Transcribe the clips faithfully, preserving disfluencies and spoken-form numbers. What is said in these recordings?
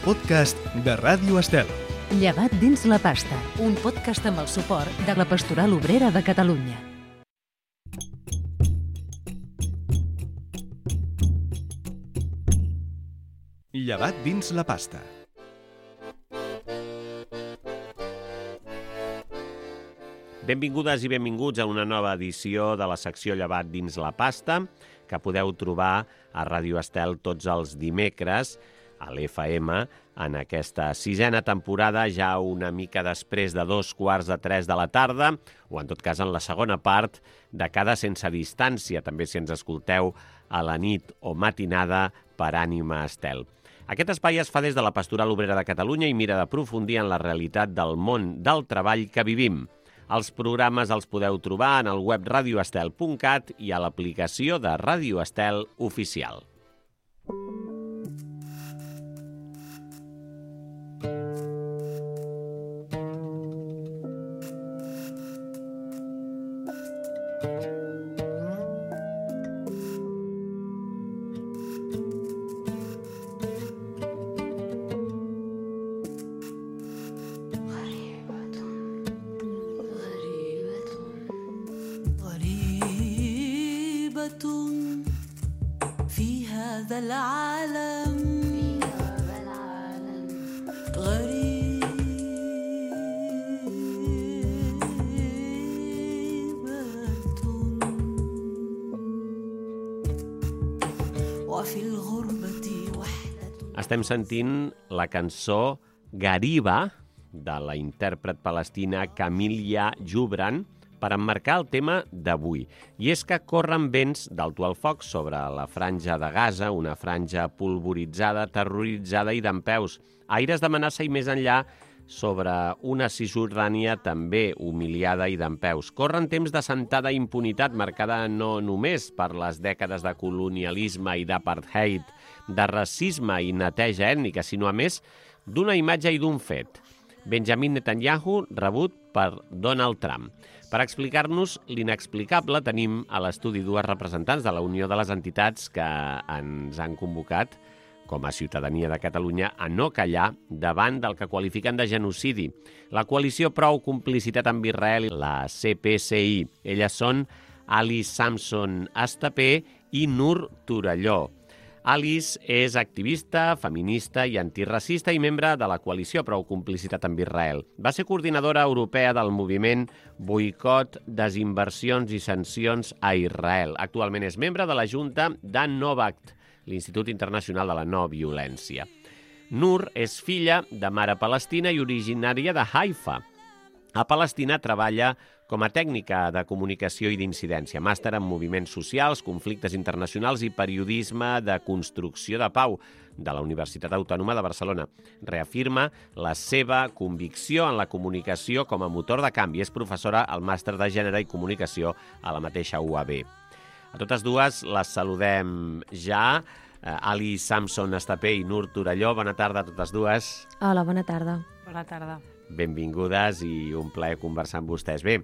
podcast de Ràdio Estel. Llevat dins la pasta, un podcast amb el suport de la Pastoral Obrera de Catalunya. Llevat dins la pasta. Benvingudes i benvinguts a una nova edició de la secció Llevat dins la pasta, que podeu trobar a Ràdio Estel tots els dimecres a l'F M en aquesta sisena temporada, ja una mica després de dos quarts de tres de la tarda, o en tot cas en la segona part de cada Sense Distància, també si ens escolteu a la nit o matinada per Ànima Estel. Aquest espai es fa des de la Pastoral Obrera de Catalunya i mira d'aprofundir en la realitat del món del treball que vivim. Els programes els podeu trobar en el web radio estel punt cat i a l'aplicació de Ràdio Estel Oficial. Estem sentint la cançó Gariba de la intèrpret palestina Camilla Jubran per emmarcar el tema d'avui. I és que corren vents d'alto al foc sobre la franja de Gaza, una franja polvoritzada, terroritzada i dempeus. Aires d'amenaça i més enllà sobre una Cisjordània també humiliada i dempeus. Corren temps de sentada impunitat marcada no només per les dècades de colonialisme i d'apartheid, de racisme i neteja ètnica, sinó a més d'una imatge i d'un fet. Benjamin Netanyahu rebut per Donald Trump. Per explicar-nos l'inexplicable tenim a l'estudi dues representants de la Unió de les Entitats que ens han convocat com a ciutadania de Catalunya a no callar davant del que qualifiquen de genocidi. La coalició Prou Complicitat amb Israel, la C P C I. Elles són Alice Samson Estapé i Nur Torelló. Alice és activista, feminista i antiracista i membre de la coalició Prou Complicitat amb Israel. Va ser coordinadora europea del moviment Boicot, Desinversions i Sancions a Israel. Actualment és membre de la Junta d'Annovact, l'Institut Internacional de la No Violència. Nur és filla de mare palestina i originària de Haifa. A Palestina treballa com a tècnica de comunicació i d'incidència, màster en moviments socials, conflictes internacionals i periodisme de construcció de pau de la Universitat Autònoma de Barcelona. Reafirma la seva convicció en la comunicació com a motor de canvi. És professora al màster de Gènere i Comunicació a la mateixa U A B. A totes dues les saludem ja. Ali Samson Estapé i Nur Torelló, bona tarda a totes dues. Hola, bona tarda. Bona tarda. Benvingudes i un plaer conversar amb vostès. Bé,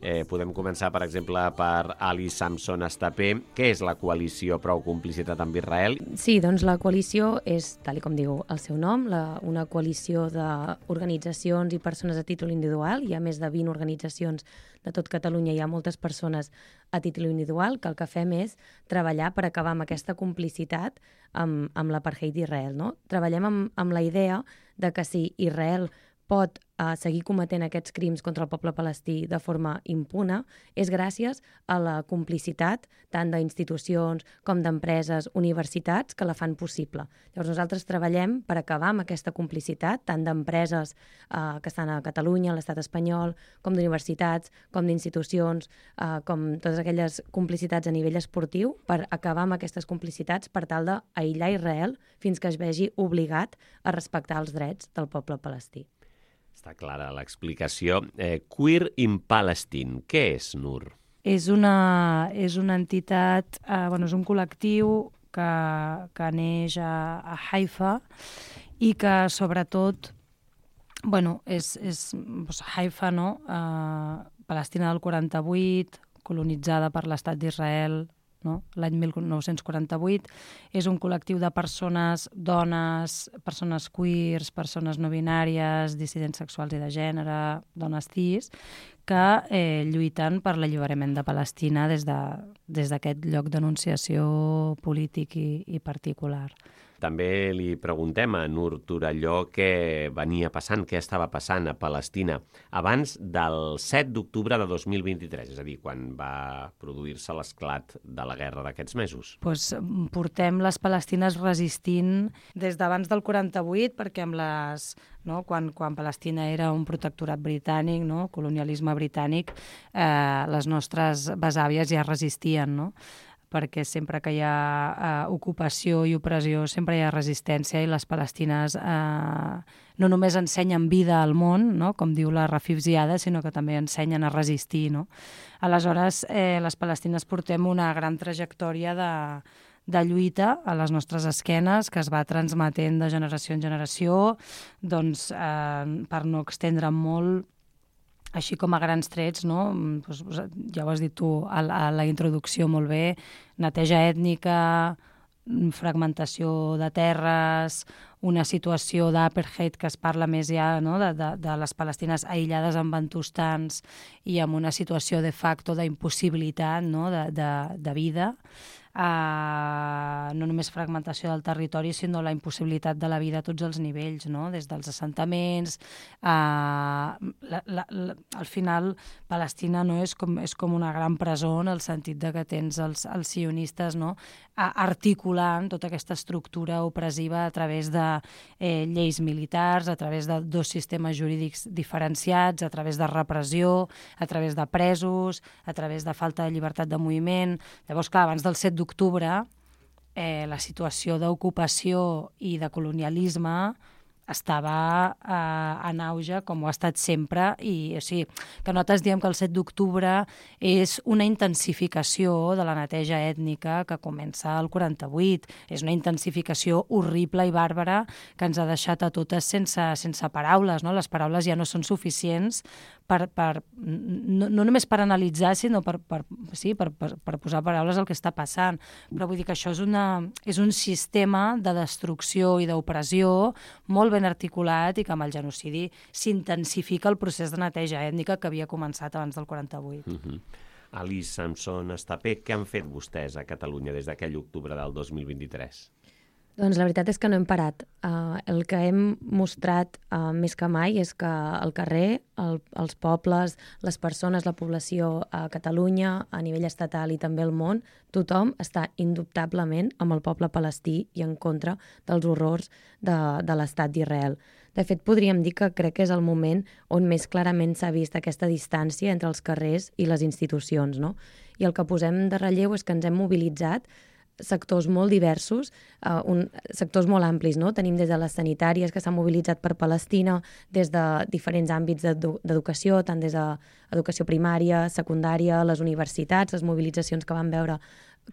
eh, podem començar, per exemple, per Ali Samson Estapé. Què és la coalició Prou Complicitat amb Israel? Sí, doncs la coalició és, tal com diu el seu nom, la, una coalició d'organitzacions i persones a títol individual. Hi ha més de vint organitzacions de tot Catalunya, hi ha moltes persones a títol individual, que el que fem és treballar per acabar amb aquesta complicitat amb, amb l'apartheid d'Israel. No? Treballem amb, amb la idea de que si Israel pot uh, seguir cometent aquests crims contra el poble palestí de forma impune és gràcies a la complicitat tant d'institucions com d'empreses, universitats, que la fan possible. Llavors nosaltres treballem per acabar amb aquesta complicitat tant d'empreses uh, que estan a Catalunya, a l'estat espanyol, com d'universitats, com d'institucions, uh, com totes aquelles complicitats a nivell esportiu, per acabar amb aquestes complicitats per tal d'aïllar Israel fins que es vegi obligat a respectar els drets del poble palestí. Està clara l'explicació. Eh, Queer in Palestine, què és, Nur? És una, és una entitat, eh, bueno, és un col·lectiu que, que neix a, a Haifa i que sobretot, bueno, és, és doncs, Haifa, no? Eh, Palestina del quaranta-vuit, colonitzada per l'estat d'Israel, no? L'any mil nou-cents quaranta-vuit. És un col·lectiu de persones, dones, persones queers, persones no binàries, dissidents sexuals i de gènere, dones cis, que eh, lluiten per l'alliberament de Palestina des de, des d'aquest lloc d'enunciació polític i, i particular. També li preguntem a Nur Torelló què venia passant, què estava passant a Palestina abans del set d'octubre de dos mil vint-i-tres, és a dir, quan va produir-se l'esclat de la guerra d'aquests mesos. Pues, portem les palestines resistint des d'abans del quaranta-vuit, perquè amb les, no, quan, quan Palestina era un protectorat britànic, no, colonialisme britànic, eh, les nostres besàvies ja resistien, no? Perquè sempre que hi ha eh, ocupació i opressió, sempre hi ha resistència i les palestines eh, no només ensenyen vida al món, no? Com diu la Rafif Ziada, sinó que també ensenyen a resistir, no? Aleshores, eh, les palestines portem una gran trajectòria de, de lluita a les nostres esquenes que es va transmetent de generació en generació, doncs, eh, per no extendre molt, així com a grans trets, no? Pues, ja ho has dit tu a la, a la introducció molt bé, neteja ètnica, fragmentació de terres, una situació d'apartheid que es parla més ja, no? de, de, de les palestines aïllades en bantustans i amb una situació de facto d'impossibilitat, no? de, de, de vida. Uh, no només fragmentació del territori, sinó la impossibilitat de la vida a tots els nivells, no? Des dels assentaments. Uh, la, la, la, al final, Palestina no és com, és com una gran presó en el sentit de que tens els, els sionistes, no? uh, articulant tota aquesta estructura opressiva a través de eh, lleis militars, a través de dos sistemes jurídics diferenciats, a través de repressió, a través de presos, a través de falta de llibertat de moviment. Llavors, clar, abans del set d'octubre, eh, la situació d'ocupació i de colonialisme estava eh, en auge, com ho ha estat sempre, i o sigui, que nosaltres diem que el set d'octubre és una intensificació de la neteja ètnica que comença al quaranta-vuit. És una intensificació horrible i bàrbara que ens ha deixat a totes sense, sense paraules, no? Les paraules ja no són suficients per, per, no, no només per analitzar, sinó per, per, sí, per, per, per posar paraules al que està passant. Però vull dir que això és, una, és un sistema de destrucció i d'opressió molt ben articulat i que amb el genocidi s'intensifica el procés de neteja ètnica que havia començat abans del quaranta-vuit. Uh-huh. Alice Samson Estapé, què han fet vostès a Catalunya des d'aquell octubre del dos mil vint-i-tres? Doncs la veritat és que no hem parat. Uh, el que hem mostrat uh, més que mai és que al carrer, el, els pobles, les persones, la població a Catalunya, a nivell estatal i també al món, tothom està indubtablement amb el poble palestí i en contra dels horrors de, de l'estat d'Israel. De fet, podríem dir que crec que és el moment on més clarament s'ha vist aquesta distància entre els carrers i les institucions, no? I el que posem de relleu és que ens hem mobilitzat sectors molt diversos, uh, un, sectors molt amplis, no? Tenim des de les sanitàries que s'han mobilitzat per Palestina, des de diferents àmbits d'educació, tant des d'educació primària, secundària, les universitats, les mobilitzacions que van veure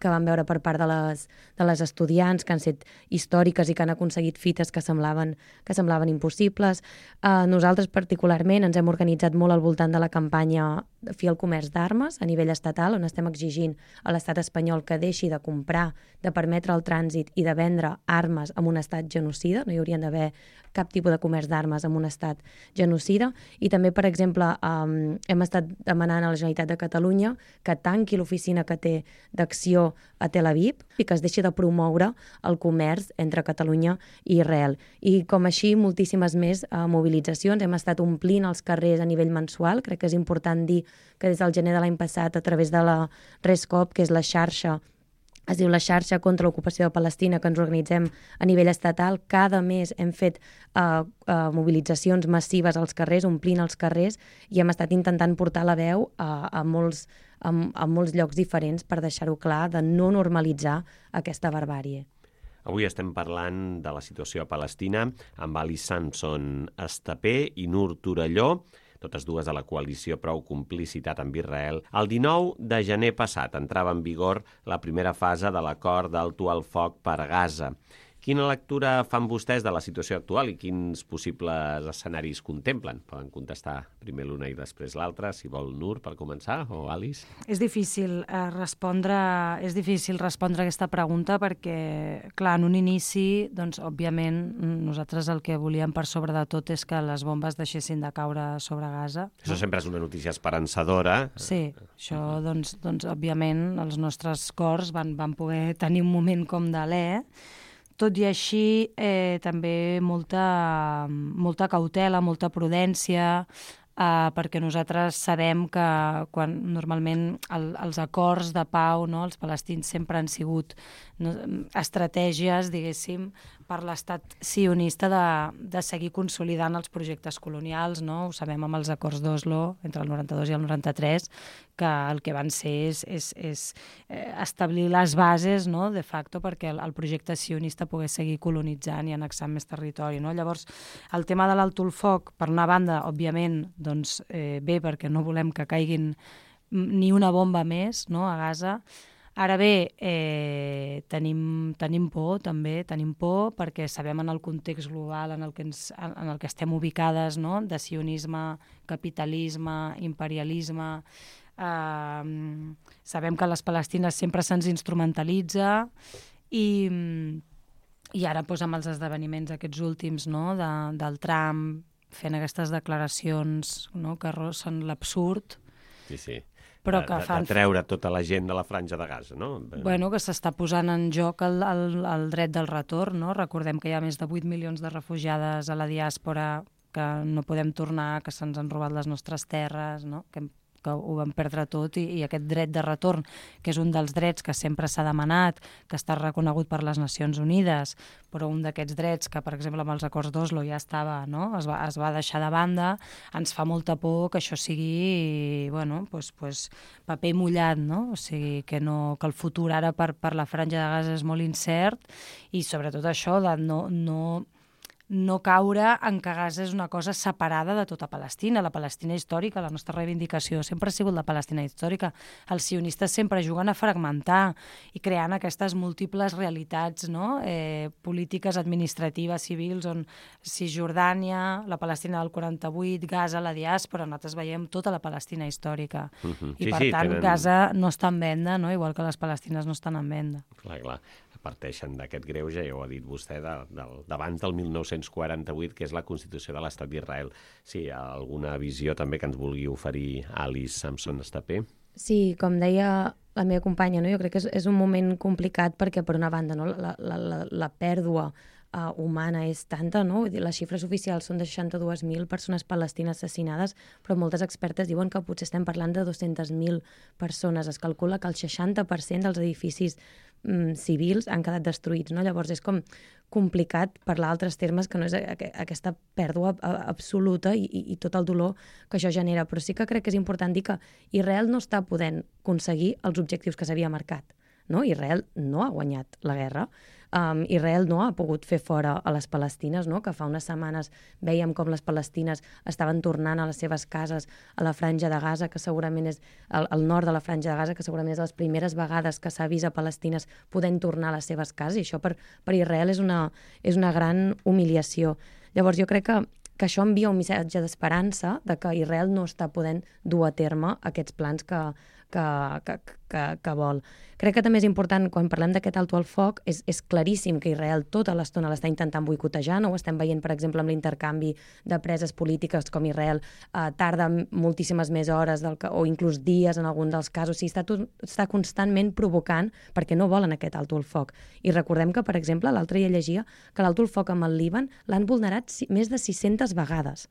que van veure per part de les, de les estudiants, que han estat històriques i que han aconseguit fites que semblaven, que semblaven impossibles. Uh, nosaltres particularment ens hem organitzat molt al voltant de la campanya Fi al comerç d'armes a nivell estatal, on estem exigint a l'estat espanyol que deixi de comprar, de permetre el trànsit i de vendre armes en un estat genocida. No hi haurien d'haver cap tipus de comerç d'armes en un estat genocida. I també, per exemple, um, hem estat demanant a la Generalitat de Catalunya que tanqui l'oficina que té d'acció a Tel Aviv i que es deixi de promoure el comerç entre Catalunya i Israel. I com així, moltíssimes més uh, mobilitzacions. Hem estat omplint els carrers a nivell mensual. Crec que és important dir que des del gener de l'any passat, a través de la RESCOP, que és la xarxa, es diu la xarxa contra l'ocupació de Palestina, que ens organitzem a nivell estatal, cada mes hem fet uh, uh, mobilitzacions massives als carrers, omplint els carrers, i hem estat intentant portar la veu a, a, molts, a, a molts llocs diferents per deixar-ho clar, de no normalitzar aquesta barbàrie. Avui estem parlant de la situació a Palestina amb Alice Samson Estapé i Nur Torelló, totes dues de la coalició Prou Complicitat amb Israel. El dinou de gener passat entrava en vigor la primera fase de l'acord d'alto al foc per Gaza Quina lectura fan vostès de la situació actual i quins possibles escenaris contemplen? Poden contestar primer l'una i després l'altra, si vol Nur, per començar, o Alice? És difícil eh, respondre és difícil respondre a aquesta pregunta perquè, clar, en un inici, doncs, òbviament, nosaltres el que volíem per sobre de tot és que les bombes deixessin de caure sobre Gaza. Això sempre és una notícia esperançadora. Sí, això, doncs, doncs òbviament, els nostres cors van, van poder tenir un moment com d'alè. Tot i així, eh, també molta, molta cautela, molta prudència, eh, perquè nosaltres sabem que quan normalment el, els acords de pau, no, els palestins sempre han sigut no, estratègies, diguéssim, per l'estat sionista de, de seguir consolidant els projectes colonials, no? Ho sabem amb els acords d'Oslo entre el noranta-dos i el noranta-tres, que el que van ser és, és, és establir les bases, no?, de facto perquè el, el projecte sionista pogués seguir colonitzant i annexant més territori, no? Llavors, el tema de l'alto el foc, per una banda, òbviament, doncs, eh, bé, perquè no volem que caiguin ni una bomba més, no?, a Gaza. Ara bé, eh, tenim, tenim por, també, tenim por, perquè sabem en el context global en el que, ens, en el que estem ubicades, no?, de sionisme, capitalisme, imperialisme. Eh, sabem que a les Palestines sempre se'ns instrumentalitza i, i ara doncs, amb els esdeveniments aquests últims, no?, de, del Trump fent aquestes declaracions, no?, que són l'absurd. Sí, sí. Però de, que de, fan... de treure tota la gent de la franja de Gaza, no? Bueno, que s'està posant en joc el, el, el dret del retorn, no? Recordem que hi ha més de vuit milions de refugiades a la diàspora, que no podem tornar, que se'ns han robat les nostres terres, no?, que que ho vam perdre tot i, i aquest dret de retorn, que és un dels drets que sempre s'ha demanat, que està reconegut per les Nacions Unides, però un d'aquests drets que, per exemple, amb els acords d'Oslo ja estava, no?, es va, es va deixar de banda, ens fa molta por que això sigui, bueno, pues, pues, paper mullat, no? O sigui, que, no, que el futur ara per, per la franja de Gaza és molt incert i sobretot això de no... no no caure en que Gaza és una cosa separada de tota Palestina. La Palestina històrica, la nostra reivindicació sempre ha sigut la Palestina històrica. Els sionistes sempre juguen a fragmentar i creant aquestes múltiples realitats, no?, eh, polítiques, administratives, civils, on Cisjordània, la Palestina del quaranta-vuit, Gaza, la diàspora, nosaltres veiem tota la Palestina històrica. Uh-huh. I Sí, per sí, tant, tenen... Gaza no està en venda, no?, igual que les palestines no estan en venda. Clar, clar. Parteixen d'aquest greuge, ja ho ha dit vostè, de, de, d'abans del mil nou-cents quaranta-vuit, que és la Constitució de l'Estat d'Israel. Sí, hi ha alguna visió també que ens vulgui oferir Alice Samson Estapé? Sí, com deia la meva companya, no? Jo crec que és, és un moment complicat perquè, per una banda, no? la, la, la, la pèrdua uh, humana és tanta, no? Vull dir, les xifres oficials són de seixanta-dues mil persones palestines assassinades, però moltes expertes diuen que potser estem parlant de dues-centes mil persones. Es calcula que el seixanta per cent dels edificis mm, civils han quedat destruïts, no? Llavors és com complicat parlar d'altres termes que no és aquesta pèrdua absoluta i, i, i tot el dolor que això genera. Però sí que crec que és important dir que Israel no està podent aconseguir els objectius que s'havia marcat, no? Israel no ha guanyat la guerra. Um, Israel no ha pogut fer fora a les palestines, no?, que fa unes setmanes veiem com les palestines estaven tornant a les seves cases a la franja de Gaza, que segurament és al, al nord de la franja de Gaza, que segurament és les primeres vegades que s'ha vist a palestines podent tornar a les seves cases, i això per, per Israel és una, és una gran humiliació. Llavors jo crec que, que això envia un missatge d'esperança de que Israel no està podent dur a terme aquests plans que, que, que, que, que vol. Crec que també és important, quan parlem d'aquest alto al foc, és, és claríssim que Israel tota l'estona l'està intentant boicotejar, no? Ho estem veient, per exemple, amb l'intercanvi de preses polítiques, com Israel eh, tarda moltíssimes més hores del que, o inclús dies en algun dels casos. O sigui, està, tot, està constantment provocant perquè no volen aquest alto al foc. I recordem que, per exemple, l'altre dia llegia que l'alto al foc amb el Líban l'han vulnerat més de sis-centes vegades.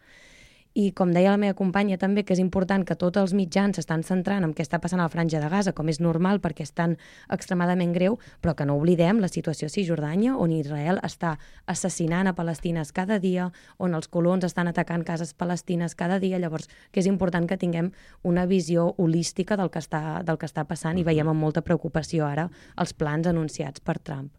I com deia la meva companya també, que és important que tots els mitjans s'estan centrant en què està passant a la franja de Gaza, com és normal perquè és tan extremadament greu, però que no oblidem la situació a Cisjordània, on Israel està assassinant a palestines cada dia, on els colons estan atacant cases palestines cada dia. Llavors, que és important que tinguem una visió holística del que està, del que està passant, i veiem amb molta preocupació ara els plans anunciats per Trump.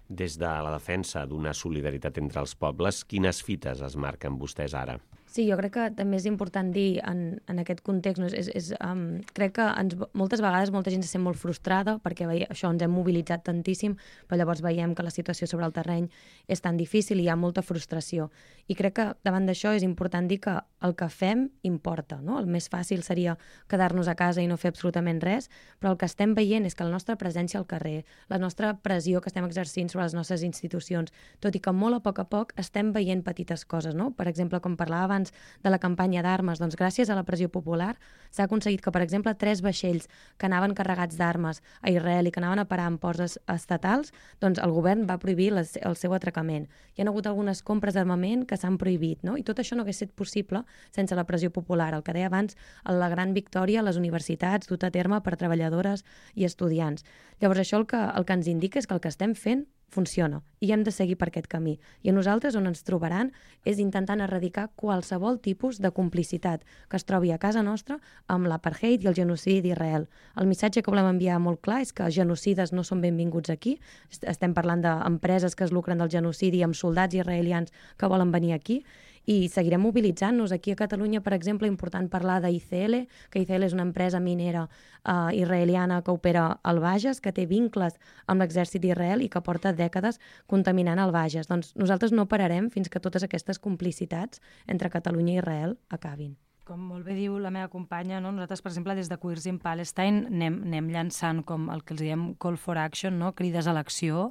Des de la defensa d'una solidaritat entre els pobles, quines fites es marquen vostès ara? Sí, jo crec que també és important dir en, en aquest context, no? és, és, um, crec que ens, moltes vegades molta gent se sent molt frustrada perquè veia, això ens hem mobilitzat tantíssim, però llavors veiem que la situació sobre el terreny és tan difícil i hi ha molta frustració. I crec que davant d'això és important dir que el que fem importa, no? El més fàcil seria quedar-nos a casa i no fer absolutament res, però el que estem veient és que la nostra presència al carrer, la nostra pressió que estem exercint sobre les nostres institucions, tot i que molt a poc a poc estem veient petites coses, no? Per exemple, com parlava abans de la campanya d'armes, doncs gràcies a la pressió popular s'ha aconseguit que, per exemple, tres vaixells que anaven carregats d'armes a Israel i que anaven a parar en ports estatals, doncs el govern va prohibir les, el seu atracament. Hi ha hagut algunes compres d'armament que s'han prohibit, no? I tot això no hagués estat possible sense la pressió popular. El que deia abans, la gran victòria a les universitats dut a terme per treballadores i estudiants. Llavors això el que, el que ens indica és que el que estem fent funciona i hem de seguir per aquest camí. I a nosaltres on ens trobaran és intentant erradicar qualsevol tipus de complicitat que es trobi a casa nostra amb l'apartheid i el genocidi d'Israel. El missatge que volem enviar molt clar és que genocides no són benvinguts aquí. Estem parlant d'empreses que es lucren del genocidi amb soldats israelians que volen venir aquí i seguirem mobilitzant-nos. Aquí a Catalunya, per exemple, important parlar d'I C L, que I C L és una empresa minera uh, israeliana que opera al Bages, que té vincles amb l'exèrcit d'Israel i que porta dècades contaminant el Bages. Doncs nosaltres no pararem fins que totes aquestes complicitats entre Catalunya i Israel acabin. Com molt bé diu la meva companya, no? Nosaltres, per exemple, des de Queers in Palestine anem, anem llançant com el que els diem call for action, no? Crides a l'acció,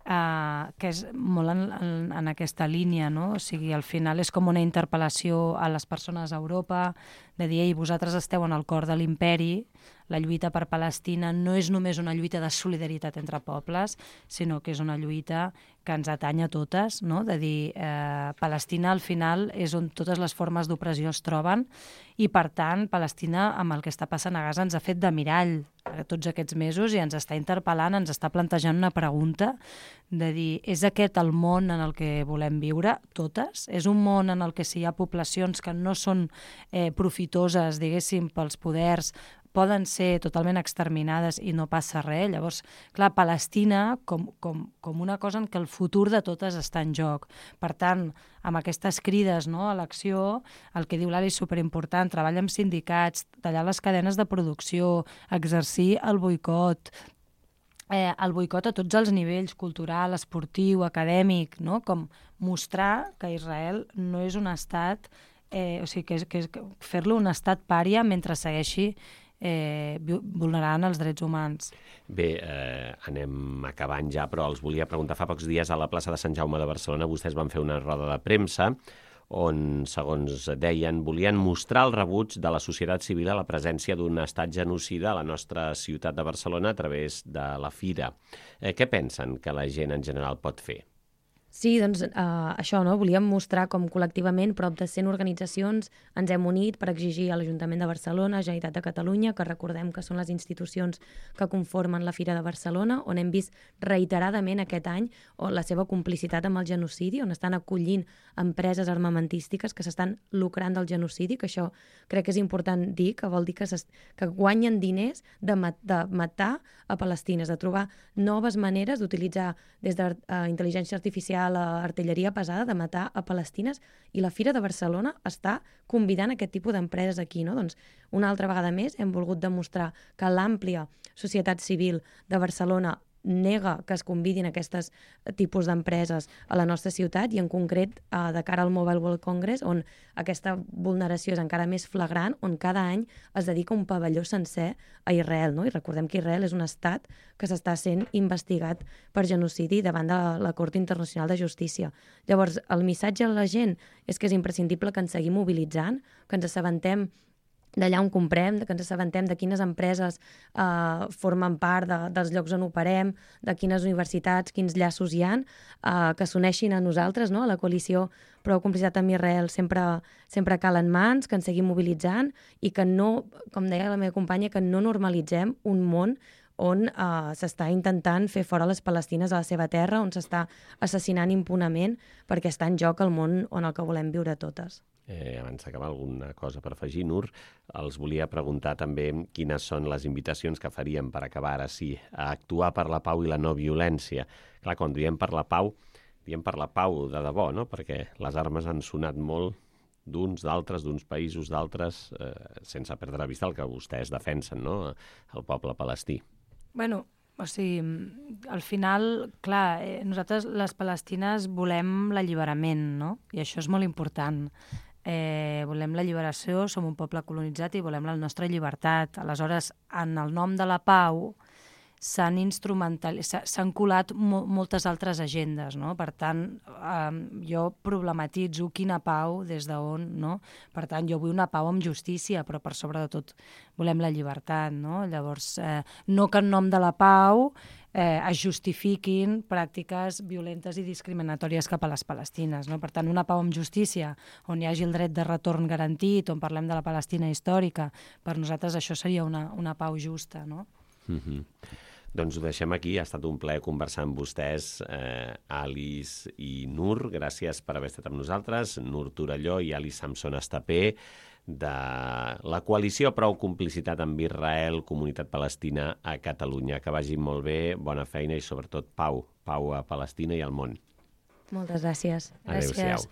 Uh, que és molt en, en, en aquesta línia, no? O sigui, al final és com una interpel·lació a les persones a Europa de dir, ei, vosaltres esteu en el cor de l'imperi, la lluita per Palestina no és només una lluita de solidaritat entre pobles, sinó que és una lluita que ens atanya a totes, no? De dir, eh, Palestina al final és on totes les formes d'opressió es troben i, per tant, Palestina, amb el que està passant a Gaza, ens ha fet de mirall tots aquests mesos i ens està interpel·lant, ens està plantejant una pregunta de dir, és aquest el món en el que volem viure, totes? És un món en el que si hi ha poblacions que no són eh, profitoses, diguéssim, pels poders, poden ser totalment exterminades i no passa res. Llavors, clar, Palestina com, com, com una cosa en què el futur de totes està en joc. Per tant, amb aquestes crides, no, a l'acció, el que diu l'Ali és superimportant, treballar amb sindicats, tallar les cadenes de producció, exercir el boicot, eh, el boicot a tots els nivells, cultural, esportiu, acadèmic, no? Com mostrar que Israel no és un estat, eh, o sigui, que, és, que és fer-lo un estat pària mentre segueixi Eh, vulnerant els drets humans. Bé, eh, anem acabant ja, però els volia preguntar, fa pocs dies a la plaça de Sant Jaume de Barcelona vostès van fer una roda de premsa on, segons deien, volien mostrar el rebuig de la societat civil a la presència d'un estat genocida a la nostra ciutat de Barcelona a través de la Fira. Eh, què pensen que la gent en general pot fer? Sí, doncs uh, això, no? Volíem mostrar com col·lectivament prop de cent organitzacions ens hem unit per exigir a l'Ajuntament de Barcelona, Generalitat de Catalunya, que recordem que són les institucions que conformen la Fira de Barcelona, on hem vist reiteradament aquest any o la seva complicitat amb el genocidi, on estan acollint empreses armamentístiques que s'estan lucrant del genocidi, que això crec que és important dir, que vol dir que, que guanyen diners de, mat de matar a palestines, de trobar noves maneres d'utilitzar des de uh, intel·ligència artificial a l'artilleria pesada de matar a palestines, i la Fira de Barcelona està convidant aquest tipus d'empreses aquí, no? Doncs una altra vegada més hem volgut demostrar que l'àmplia societat civil de Barcelona nega que es convidin aquests tipus d'empreses a la nostra ciutat i en concret eh, de cara al Mobile World Congress, on aquesta vulneració és encara més flagrant, on cada any es dedica un pavelló sencer a Israel, no? I recordem que Israel és un estat que s'està sent investigat per genocidi davant de la Cort Internacional de Justícia. Llavors, el missatge a la gent és que és imprescindible que ens seguim mobilitzant, que ens assabentem d'allà on comprem, que ens assabentem de quines empreses eh, formen part de, dels llocs on operem, de quines universitats, quins llaços hi ha, eh, que s'uneixin a nosaltres, no? A la coalició Prou Complicitat amb Israel sempre, sempre calen mans, que ens seguim mobilitzant i que no, com deia la meva companya, que no normalitzem un món on eh, s'està intentant fer fora les palestines a la seva terra, on s'està assassinant impunament perquè està en joc el món on el que volem viure totes. Eh, abans d'acabar, alguna cosa per afegir, Nur, els volia preguntar també quines són les invitacions que faríem per acabar ara sí a actuar per la pau i la no violència. Clar, quan diem per la pau, diem per la pau de debò, no? Perquè les armes han sonat molt d'uns, d'altres, d'uns països, d'altres, eh, sense perdre de vista el que vostès defensen, no?, el poble palestí. Bueno, o sigui, al final, clar, eh, nosaltres les palestines volem l'alliberament, no? I això és molt important. Eh, volem la lliberació, som un poble colonitzat i volem la nostra llibertat. Aleshores, en el nom de la pau s'han instrumental... s'han colat mo moltes altres agendes, no? Per tant, eh, jo problematitzo quina pau, des d'on, no? Per tant, jo vull una pau amb justícia, però per sobre de tot volem la llibertat, no? Llavors, eh, no que en nom de la pau eh, es justifiquin pràctiques violentes i discriminatòries cap a les palestines, no? Per tant, una pau amb justícia, on hi hagi el dret de retorn garantit, on parlem de la Palestina històrica, per nosaltres això seria una, una pau justa, no? Mm-hmm. Doncs ho deixem aquí. Ha estat un plaer conversar amb vostès, eh, Alice i Nur. Gràcies per haver estat amb nosaltres. Nur Torelló i Alice Samson Estapé, de la coalició Prou Complicitat amb Israel, Comunitat Palestina a Catalunya. Que vagi molt bé, bona feina i sobretot pau. Pau a Palestina i al món. Moltes gràcies. Adéu-siau.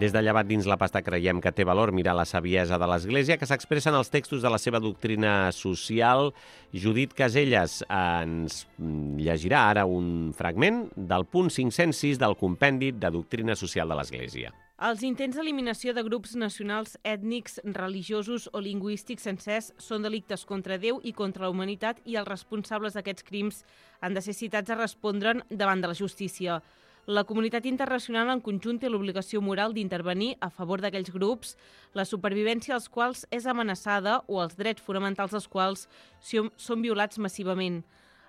Des de Llevat dins la pasta creiem que té valor mirar la saviesa de l'Església que s'expressa en els textos de la seva doctrina social. Judit Caselles ens llegirà ara un fragment del punt cinc-cents sis del compendi de doctrina social de l'Església. Els intents d'eliminació de grups nacionals, ètnics, religiosos o lingüístics sencers són delictes contra Déu i contra la humanitat i els responsables d'aquests crims han de ser citats a respondre'n davant de la justícia. La comunitat internacional en conjunt té l'obligació moral d'intervenir a favor d'aquells grups, la supervivència dels quals és amenaçada o els drets fonamentals dels quals són violats massivament.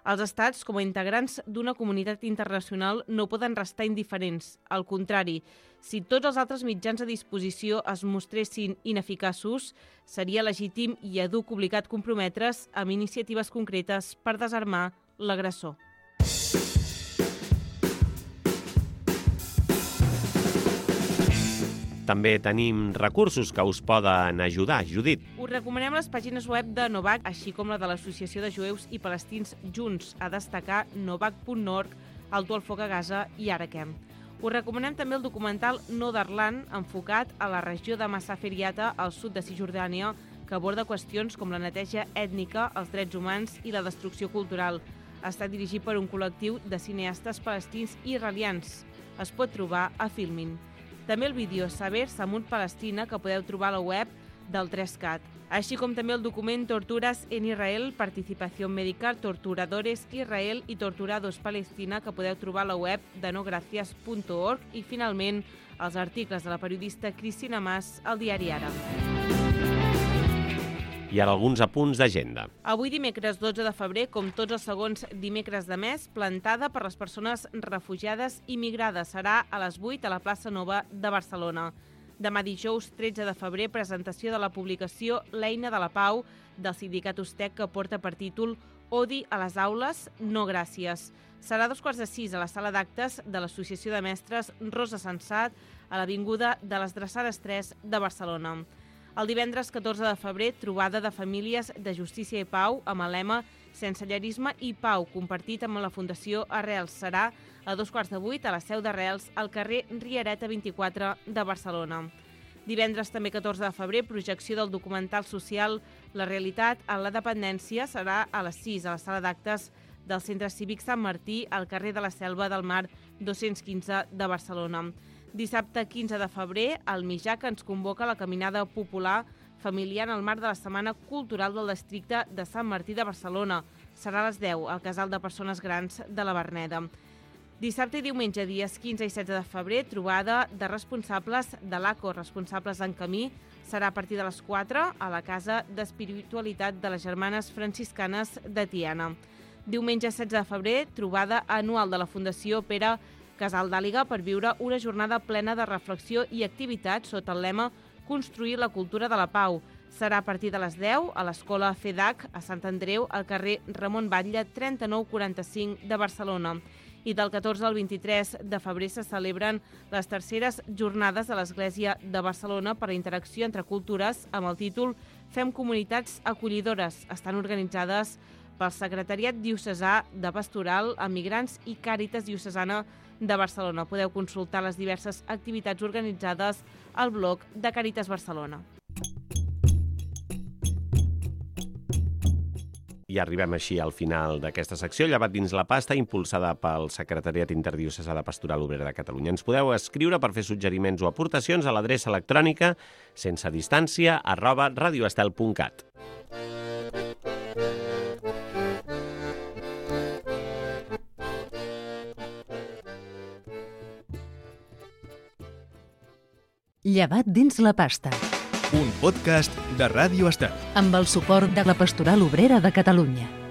Els estats, com a integrants d'una comunitat internacional, no poden restar indiferents. Al contrari, si tots els altres mitjans a disposició es mostressin ineficaços, seria legítim i educ obligat comprometre's amb iniciatives concretes per desarmar l'agressor. També tenim recursos que us poden ajudar. Judit. Us recomanem les pàgines web de Novak, així com la de l'Associació de Jueus i Palestins Junts, a destacar novak punt org, Alto el Foc a Gaza i Arakem. Us recomanem també el documental Nodarland, enfocat a la regió de Massaferiata, al sud de Cisjordània, que aborda qüestions com la neteja ètnica, els drets humans i la destrucció cultural. Està dirigit per un col·lectiu de cineastes palestins i israelians. Es pot trobar a Filmin. També el vídeo Saber Samut Palestina, que podeu trobar a la web del tres cat, així com també el document Torturas en Israel, Participació Mèdica, Torturadores Israel i Torturados Palestina, que podeu trobar a la web de no gracias punt org, i finalment els articles de la periodista Cristina Mas al diari Ara. I ara alguns apunts d'agenda. Avui, dimecres dotze de febrer, com tots els segons dimecres de mes, plantada per les persones refugiades i migrades. Serà a les vuit a la plaça Nova de Barcelona. Demà dijous tretze de febrer, presentació de la publicació L'eina de la pau del sindicat Ustec, que porta per títol Odi a les aules, no gràcies. Serà a dos quarts de sis a la sala d'actes de l'Associació de Mestres Rosa Sensat, a l'Avinguda de les Drassanes tres de Barcelona. El divendres catorze de febrer, trobada de famílies de justícia i pau amb el lema Sensellerisme i pau, compartit amb la Fundació Arrels. Serà a dos quarts de vuit a la seu d'Arrels, al carrer Riereta vint-i-quatre de Barcelona. Divendres també catorze de febrer, projecció del documental social La realitat en la dependència. Serà a les sis a la sala d'actes del Centre Cívic Sant Martí, al carrer de la Selva del Mar dos-cents quinze de Barcelona. Dissabte quinze de febrer, el Mijac ens convoca a la caminada popular familiar en el marc de la Setmana Cultural del districte de Sant Martí de Barcelona. Serà a les deu al Casal de Persones Grans de la Verneda. Dissabte i diumenge, dies quinze i setze de febrer, trobada de responsables de l'A C O, responsables en camí. Serà a partir de les quatre a la Casa d'Espiritualitat de les Germanes Franciscanes de Tiana. Diumenge setze de febrer, trobada anual de la Fundació Pere Casal d'Àliga per viure una jornada plena de reflexió i activitat sota el lema Construir la cultura de la pau. Serà a partir de les deu a l'Escola FEDAC a Sant Andreu, al carrer Ramon Batlle trenta-nou quaranta-cinc de Barcelona. I del catorze al vint-i-tres de febrer se celebren les terceres jornades de l'Església de Barcelona per la interacció entre cultures amb el títol Fem comunitats acollidores. Estan organitzades pel Secretariat Diocesà de Pastoral, Emigrants i Càritas Diocesana de Barcelona. Podeu consultar les diverses activitats organitzades al blog de Càritas Barcelona. I arribem així al final d'aquesta secció, Llevat dins la pasta, impulsada pel Secretariat Interdiocesà de Pastoral Obrera de Catalunya. Ens podeu escriure per fer suggeriments o aportacions a l'adreça electrònica sense distància arroba radioestel punt cat. Llevat dins la pasta, Un podcast de Ràdio Estel. amb el suport de la Pastoral Obrera de Catalunya.